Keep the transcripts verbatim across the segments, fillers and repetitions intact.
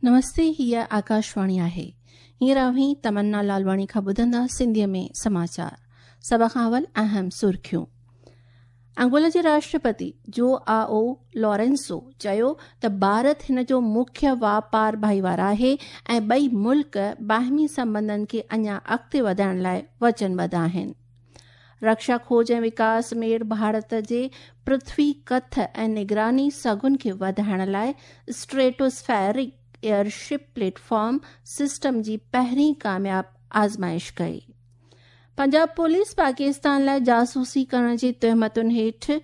नमस्ते, हीअ आकाशवाणी आहे। हींअर अव्हीं तमन्ना लालवाणी खां ॿुधंदा सिंधीअ में समाचार। सभ खां अवल अहम सुर्खियूं। अंगोला जे राष्ट्रपति जोआओ लॉरेंसो चयो त भारत हिन जो मुख्य वापार भाईवार आहे ऐं ॿई मुल्क बाहिमी संबंधनि खे अञा अॻिते वधाइण लाइ वचनबद्ध आहिनि। रक्षा खोज ऐं विकास मेड़ भारत जे पृथ्वी कथ ऐं निगरानी सघुनि खे वधाइण लाइ स्ट्रेटोस्फेरिक एयरशिप प्लेटफॉर्म सिस्टम जी पहिरीं कामयाब आज़माइश कई। पंजाब पुलिस पाकिस्तान लाइ जासूसी करण जी तोहमतुनि हेठि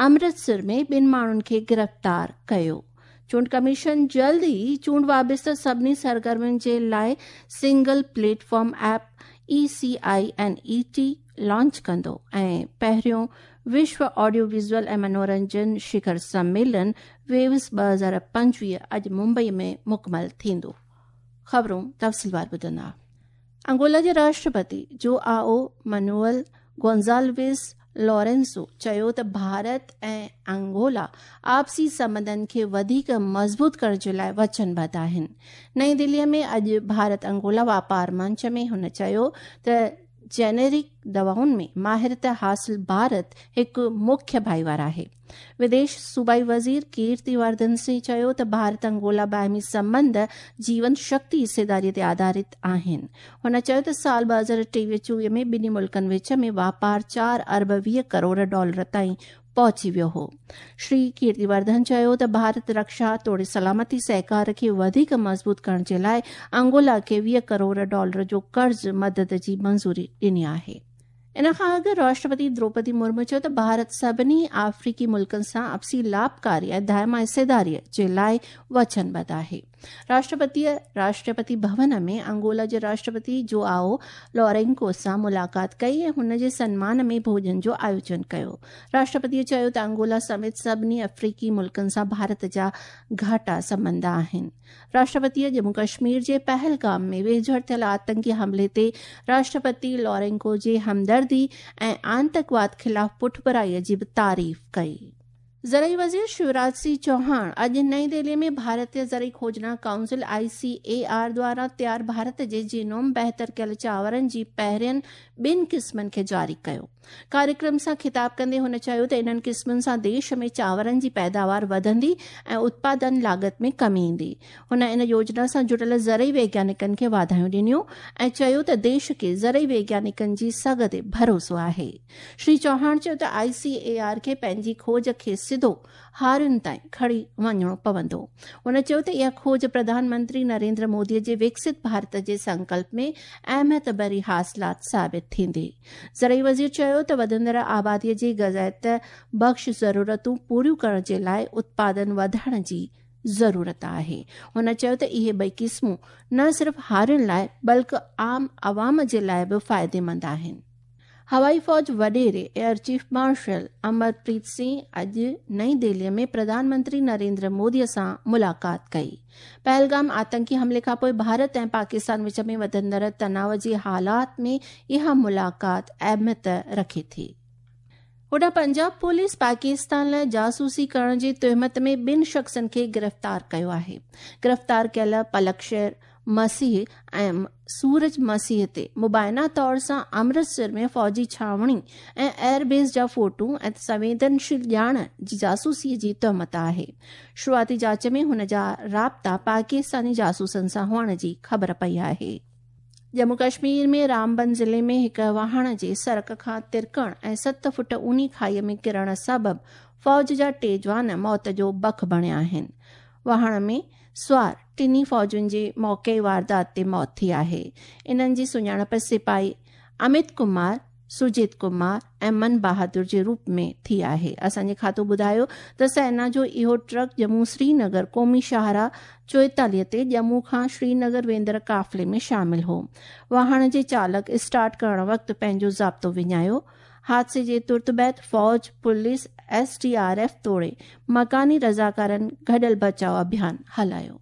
अमृतसर में ॿिनि माण्हुनि खे गिरफ़्तार कयो। चूंड कमीशन जल्द ई चूंड वाबिस्ता सभिनी सरगर्मियुनि जे लाइ single platform app E C I N E T launch कंदो ऐं पहिरियों विश्व ऑडियो विजुअल ऐं मनोरंजन शिखर सम्मेलन वेव्स ॿ हज़ार पंजवीह अॼु मुंबई में मुकमल थींदो। ख़बरूं तफ़सीलवार ॿुधंदा। अंगोला जे राष्ट्रपति जोआओ मनुअल गोंज़ाल्विस लॉरेंसो चयो त भारत ऐं अंगोला आपसी संबंधनि खे वधीक मज़बूत करण जे लाइ वचनबद्ध आहिनि। नई दिल्लीअ में अॼु भारत अंगोला वापार मंच में हुन चयो त जेनेरिक दवाउनि में माहिरत हासिल भारत हिकु मुख्य भाईवार आहे। विदेश सूबाई वज़ीर कीर्तिवर्धन सिंह चयो त भारत अंगोला बाहिमी संबंध जीवन शक्ति हिस्सेदारीअ ते आधारित आहिनि। हुन चयो त साल ॿ हज़ार टेवीह चोवीह में ॿिन्ही मुल्कनि विच में वापार चारि अरब वीह करोड़ डॉलर ताईं पहुची वियो हो। श्री कीर्तिवर्धन चयो त भारत रक्षा तोड़े सलामती सहकार खे वधीक मज़बूत करण जे लाइ अंगोला खे वीह करोड़ डॉलर जो कर्ज़ मदद जी मंज़ूरी ॾिनी आहे। इन खां अॻु राष्ट्रपति द्रौपदी मुर्मू चयो त भारत सभिनी अफ्रीकी मुल्कनि सां आपसी लाभकारी ऐं दायमा हिस्सेदारीअ जे लाइ वचनबद्ध आहे। राष्ट्रपतीअ राष्ट्रपति भवन में अंगोला जे राष्ट्रपति जोआओ लॉरेंको सां मुलाक़ात कई ऐं हुन जे सन्मान में भोजन जो आयोजन कयो। राष्ट्रपतीअ चयो त अंगोला समेत सभिनी अफ्रीकी मुल्कनि सां भारत जा घाटा संबंध आहिनि। राष्ट्रपतीअ जम्मू कश्मीर जे पहलगाम में वेझड़ थियल आतंकी हमले ते राष्ट्रपति लॉरेंको जे हमदर्दी ऐं आतंकवाद ख़िलाफ़ पुठभराईअ जी बि तारीफ़ कई। ज़रई वज़ीर शिवराज सिंह चौहान अॼु नई दिल्ली में भारतीय ज़रई खोजना council I C A R द्वारा तयार भारत जे जीनोम बहितर कयल चांवरनि जी पहिरियनि ॿिनि क़िस्मनि खे जारी कयो। कार्यक्रम सां ख़िताब कंदे हुन चयो त इन्हनि क़िस्मनि सां देश में चांवरनि जी पैदावार वधंदी ऐं उत्पादन लागत में कमी ईंदी। हुन इन योजना सां जुड़ियल ज़रई वैज्ञानिकनि खे वाधायूं ॾिनियूं ऐं चयो त देश खे ज़रई वैज्ञानिकनि जी सघ ते भरोसो आहे। श्री चौहान चयो त आई सी ए आर खे पंहिंजी खोज खे सिधो हारियुनि ताईं खणी वञिणो पवंदो। हुन चयो त इहा खोज प्रधानमंत्री नरेंद्र मोदीअ जे विकसित भारत जे संकल्प में अहमियत भरी हासिलात साबित थींदी। ज़रई वज़ीर चयो त वधंदड़ आबादीअ जी ग़ज़ायत बख़्श ज़रूरतूं पूरियूं करण जे लाइ उत्पादन वधाइण जी ज़रूरत आहे। हुन चयो त इहे ॿई क़िस्मूं न सिर्फ़ हारियुनि लाइ बल्कि आम आवाम जे लाइ बि फ़ाइदेमंद आहिनि। हवाई फ़ौज वॾेरे air chief marshal Amarpreet Singh अॼु नई दिल्लीअ में प्रधानमंत्री नरेंद्र मोदीअ सां मुलाक़ात कई। पहलगाम आतंकी हमले खां पोइ भारत ऐं पाकिस्तान विच में वधंदड़ तनाव जी हालात में इहा मुलाक़ात अहमियत रखे थी। होॾां पंजाब पुलिस पाकिस्तान लाइ जासूसी करण जी तोहमत में ॿिनि शख़्सनि खे गिरफ़्तार कयो आहे। गिरफ़्तार कयल पलक शेर मसीह ऐं सूरज मसीह ते मुबाइना तौर सां अमृतसर में फ़ौजी छावणी ऐं एयरबेस जा फ़ोटू ऐं संवेदनशील ॼाण जी जासूसीअ जी तोहमत आहे। शुरूआती जांच में हुन जा राब्ता पाकिस्तानी जासूसनि सां हुअण जी ख़बर पई आहे। जम्मू कश्मीर में रामबन ज़िले में हिकु वाहण जे सड़क खां तिरकण ऐं सत फुट ऊनी खाईअ में किरण सबबु फ़ौज जा टे जवान मौत जो बख बणिया आहिनि। वाहण में सवार टिन्ही फ़ौजुनि जी मौक़े वारदात ते मौत थी आहे। इन्हनि जी सुञाणप सिपाही अमित कुमार, सुजीत कुमार ऐं मन बहादुर जे रूप में थी आहे। असांजे खातो ॿुधायो त सेना जो इहो ट्रक जम्मू श्रीनगर क़ौमी शाहराह चोएतालीह ते जम्मू खां श्रीनगर वेंदड़ काफ़िले में शामिल हो। वाहण जे चालक स्टार्ट करण वक़्तु पंहिंजो ज़ाब्तो विञायो। हादसे जे तुर्त बाद फ़ौज, police, S D R F तोड़े मकानी रज़ाकारनि गॾियल बचाव अभियान हलायो।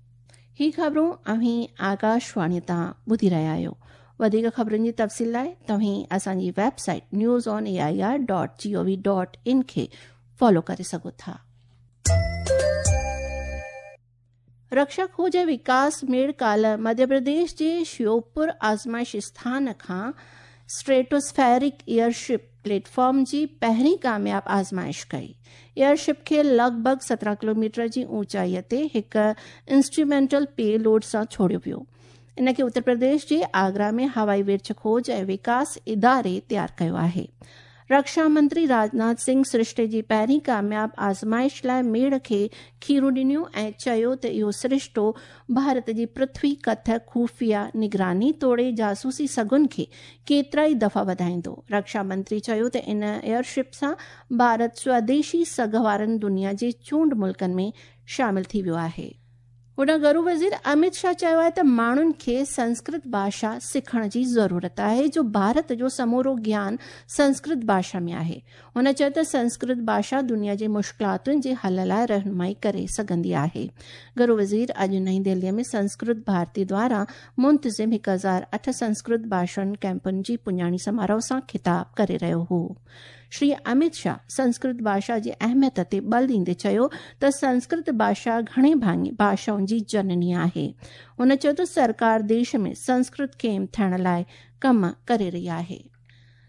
ही ख़बरूं अव्हीं आकाशवाणी तां ॿुधी रहिया आहियो। वधीक ख़बरुनि जी तफ़सील लाइ तव्हीं असांजी website news on A I R dot G O V dot in खे फॉलो करे सघो था। रक्षा खोज ऐं विकास मेड़ काल्ह मध्य प्रदेश जे शिवपुर आज़माइश स्थान खां स्ट्रेटोस्फेरिक एयरशिप प्लेटफॉर्म जी पहिरीं कामयाब आज़माइश कई। एयरशिप खे लॻभॻि सत्रहं किलोमीटर जी ऊंचाईअ ते हिकु इंस्ट्रूमेंटल पेलोड सां छोड़ियो वियो। इन खे उत्तर प्रदेश जे आगरा में हवाई विर्छ खोज ऐं विकास इदारे तयारु कयो आहे। रक्षा मंत्री राजनाथ सिंह सृष्टि जी पहिरीं कामयाब आज़माइश लाइ मेड़ खे खीरूं ॾिनियूं ऐं चयो त इहो सृष्टो भारत जी पृथ्वी कथ खुफिया निगरानी तोड़े जासूसी सघुनि खे केतिरा ई दफ़ा वधाईंदो। रक्षा मंत्री चयो त इन एयरशिप सां भारत स्वदेशी सघ वारनि दुनिया जे चूंड मुल्कनि में शामिल थी वियो आहे। होॾां गरू वज़ीर अमित शाह चयो आहे त माण्हुनि खे संस्कृत भाषा सिखण जी ज़रूरत आहे, जो भारत जो समूरो ज्ञान संस्कृत भाषा में आहे। हुन चयो त संस्कृत भाषा दुनिया जे मुश्किलातुनि जे हल लाइ रहनुमाई करे सघंदी आहे। गरू वज़ीर अॼु नई दिल्लीअ में संस्कृत भारती द्वारा मुंतज़िम हिकु हज़ार अठ संस्कृत भाषण कैंपनि जी पुॼाणी समारोह सां ख़िताब करे रहियो हो। श्री अमित शाह संस्कृत भाषा जी अहमियत ते बल ॾींदे चयो त संस्कृत भाषा घणे भाङे भाषाउनि जी जननी आहे। हुन चयो त सरकार देश में संस्कृत खे हिमथाइण लाइ कम करे रही आहे।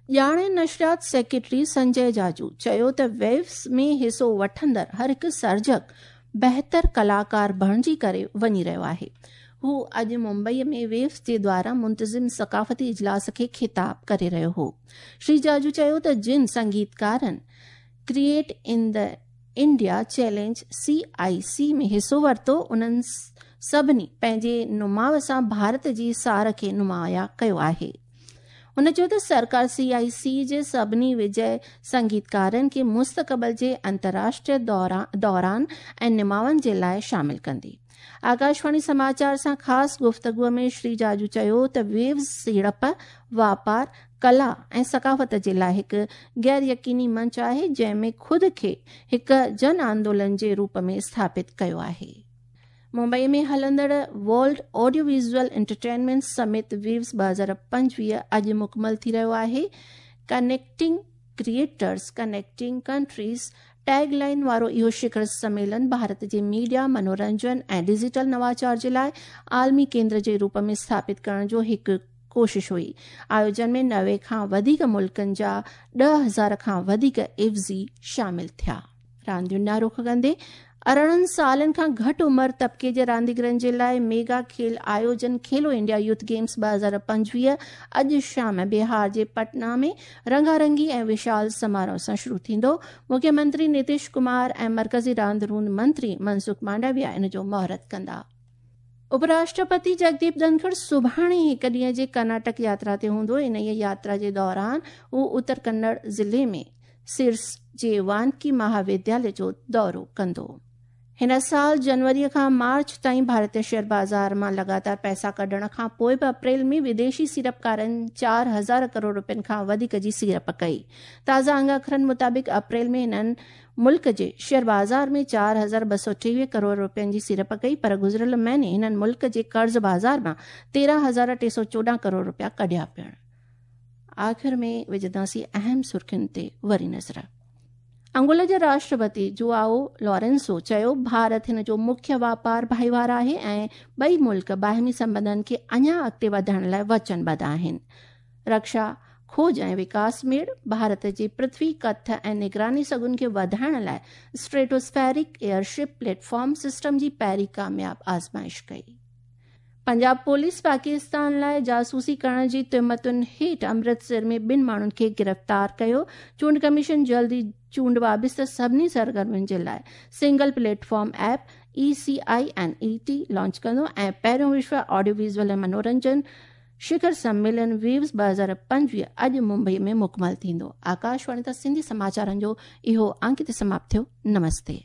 ॼाण ऐं नशरियात सेक्रेटरी संजय जाजू चयो त वेव्स में हिसो वठंदड़ हर हिकु सर्जक बहितर कलाकार बणिजी करे वञी रहियो आहे। हू अॼु मुंबईअ में वेव्स जे द्वारा मुंतज़िम सकाफ़ती इजलास खे ख़िताब करे रहियो हो। श्री जाजू चयो त जिन संगीतकारनि create in the India challenge C I C में हिसो वरितो, उन्हनि सभिनी पंहिंजे नुमाव सां भारत जी सार खे नुमाया कयो आहे। हुन चयो त सरकार सी आई सी जे सभिनी विजय संगीतकारनि खे मुस्तक़बिल जे अंतर्राष्ट्रीय दौरान ऐं निमावनि जे लाइ शामिल कंदी। आकाशवाणी समाचार सां ख़ासि गुफ़्तगूअ में श्री जाजू चयो त वेव्स सीड़प, वापार, कला ऐं सकाफ़त जे लाइ हिकु गैर यकीनी मंच आहे, जंहिं में ख़ुदि खे हिकु जन आंदोलन जे रूप में स्थापित कयो आहे। मुंबई में हलंदड़ world audio visual entertainment summit waves ॿ हज़ार पंजवीह अॼु मुकमल थी रहियो आहे। Connecting creators connecting countries tag line वारो इहो शिखर सम्मेलन भारत जे मीडिया, मनोरंजन ऐं डिजिटल नवाचार जे लाइ आलमी केंद्र जे रूप में स्थापित करण जो हिकु कोशिश हुई। आयोजन में नवे खां वधीक मुल्कनि जा ॾह हज़ार खां वधीक इवज़ी शामिल थिया। रांदियुनि ॾांहुं रुख कंदे अरिड़हं सालनि खां घटि उमिरि तबिके जे रांदीगरनि जे लाइ मेगा खेल आयोजन खेलो इंडिया यूथ गेम्स ॿ हज़ार पंजवीह अॼु शाम बिहार जे पटना में रंगारंगी ऐं विशाल समारोह सां शुरू थींदो। मुख्यमंत्री नीतीश कुमार ऐं मर्कज़ी रांद रूंद मंत्री मनसुख मांडविया इन जो मुहूर्त कंदा। उपराष्ट्रपति जगदीप धनखड़ सुभाणे हिकु ॾींहं जे कर्नाटक यात्रा ते हूंदो। इन यात्रा जे दौरान हू उत्तर कन्नड़ ज़िले में सिरस जे वानकी महाविद्यालय जो दौरो कंदो। हिन साल जनवरीअ खां मार्च ताईं भारतीय शेयर बाज़ार मां लगातार पैसा कढण खां पोइ बि अप्रैल में विदेशी सीड़पकारनि चारि हज़ार करोड़ रुपयनि खां वधीक जी सीड़प कई। ताज़ा अंग अखरनि मुताबिक़ अप्रैल में हिननि मुल्क जे शेयर बाज़ार में चारि हज़ार ॿ सौ टेवीह करोड़ रुपयनि जी सीड़प कई, पर गुज़िरियल महीने हिननि मुल्क जे कर्ज़ बाज़ार मां तेरहं हज़ार टे सौ चोॾहं करोड़ रुपया कढिया पिणु। आख़िर में विझंदासीं अहम सुर्खियुनि ते वरी नज़र। अंगोला जे राष्ट्रपति जुआओ लॉरेंसो चयो भारत हिन जो मुख्य वापार भाईवार आहे ऐं ॿई मुल्क बाहिमी संबंधनि खे अञा अॻिते वधाइण लाइ वचनबद्ध आहिनि। रक्षा खोज ऐं विकास मेड़ भारत जे पृथ्वी कथ ऐं निगरानी सघुनि खे वधाइण लाइ स्ट्रेटोस्फेरिक एयरशिप प्लेटफॉर्म सिस्टम जी पहिरीं कामयाब आज़माइश कई। पंजाब पुलिस पाकिस्तान लाइ जासूसी करण जी तुहमतुनि हेठि अमृतसर में ॿिनि माण्हुनि खे गिरफ़्तार कयो। चूंड कमीशन जल्दी चूंड वाबिस्त सभिनी सरगर्मियुनि जे लाइ single platform app E C I N E T launch कंदो ऐं पहिरियों विश्व ऑडियो विजुअल ऐं मनोरंजन शिखर सम्मेलन वेव्स ॿ हज़ार पंजवीह अॼु मुंबई में मुकमल थींदो। आकाशवाणी तां सिंधी समाचारनि जो इहो अंक हिते समाप्त थियो। नमस्ते।